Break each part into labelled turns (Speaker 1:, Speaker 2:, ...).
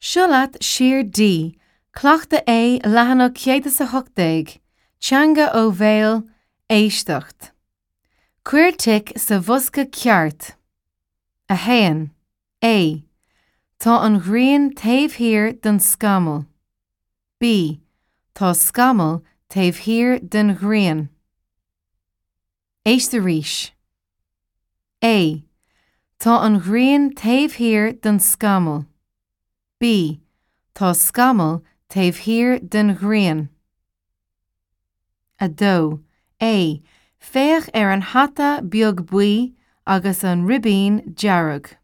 Speaker 1: Seo leat Siar D, Cleachtadh A, leathanach 118, Teanga ó Bhéal, Éisteacht. Cuir tic sa bhosca ceart. 1. A. Tá an ghrian taobh thiar den scamall. B. Tá scamall taobh thiar den ghrian. Éist arís. A. Tá an ghrian taobh thiar den scamall. B. Tá scamall taobh thiar den ghrian. 2. A. Féach ar an hata beag buí agus an ribín dearg.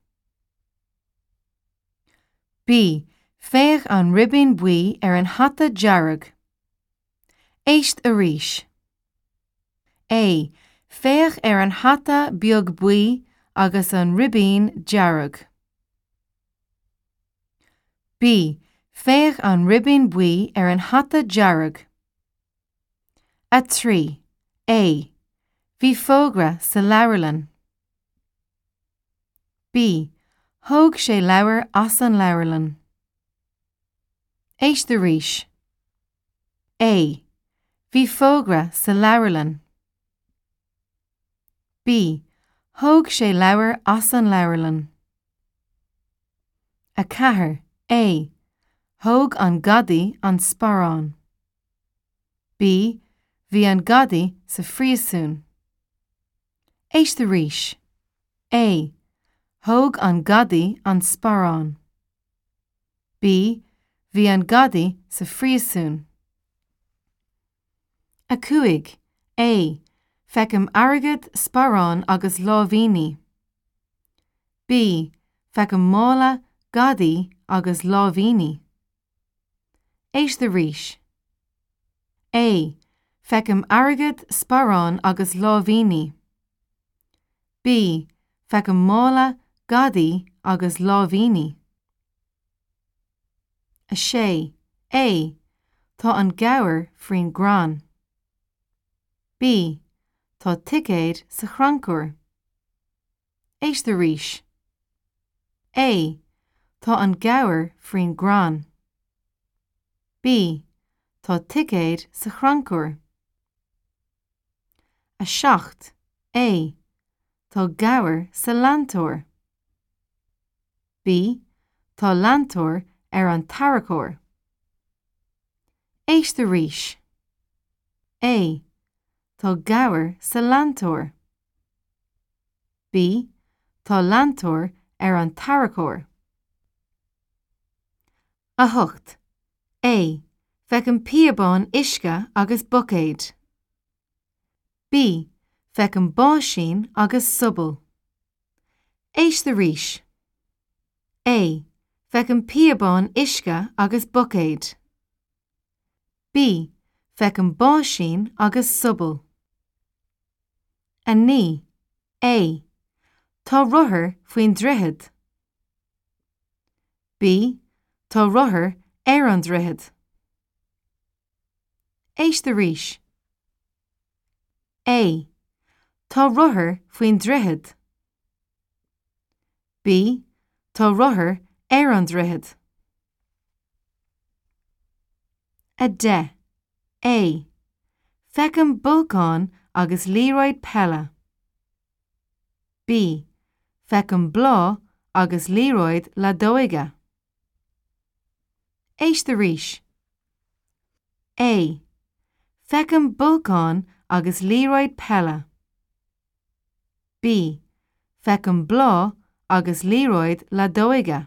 Speaker 1: B. Féach an ribín buí ar an hata dearg. Éist arís. A. Féach ar an hata beag buí agus an ribín dearg. B. Féach an ribín buí ar an hata dearg. 3. A. Bhí fógra sa leabharlann. B. Thóg sé leabhar as an leabharlann. Éist arís. A. Bhí fógra sa leabharlann. B. Thóg sé leabhar as an leabharlann. 4. A. Thóg an gadaí an sparán. B. Bhí an gadaí sa phríosún. Éist arís. A. Thóg an gadaí an sparán. B. Bhí an gadaí sa phríosún. 5. A. Feicim airgead, sparán agus láimhíní. B. Feicim mála, gadaí agus láimhíní. Éist arís. A. Feicim airgead, sparán agus láimhíní. B. Feicim mála, gadaí agus láimhíní. 6. A. Tá an gabhar faoin gcrann. B. Tá ticéad sa chrannchur. Éist arís. A. Tá an gabhar faoin gcrann. B. Tá ticéad sa chrannchur. 7. A. Tá gabhar sa leantóir. B. Tá leantóir ar an tarracóir. Éist arís. A. Tá gabhar sa leantóir. B. Tá leantóir ar an tarracóir. 8. A. Feicim píobán uisce agus buicéad. B. Feicim báisín agus sobal. Éist arís. A. Feicim píobán uisce agus buicéad. B. Feicim báisín agus sobal. 9. A. Tá rothar faoin droichead. B. Tá rothar ar an droichead. Éist arís. A. Tá rothar faoin droichead. B. Tá rothar ar an droichead. 10. A. Feicim bolcán agus liathróid peile. B. Feicim bláth agus liathróid leadóige. Éist arís. A. Feicim bolcán agus liathróid peile. B. Feicim bláth agus liathróid leadóige.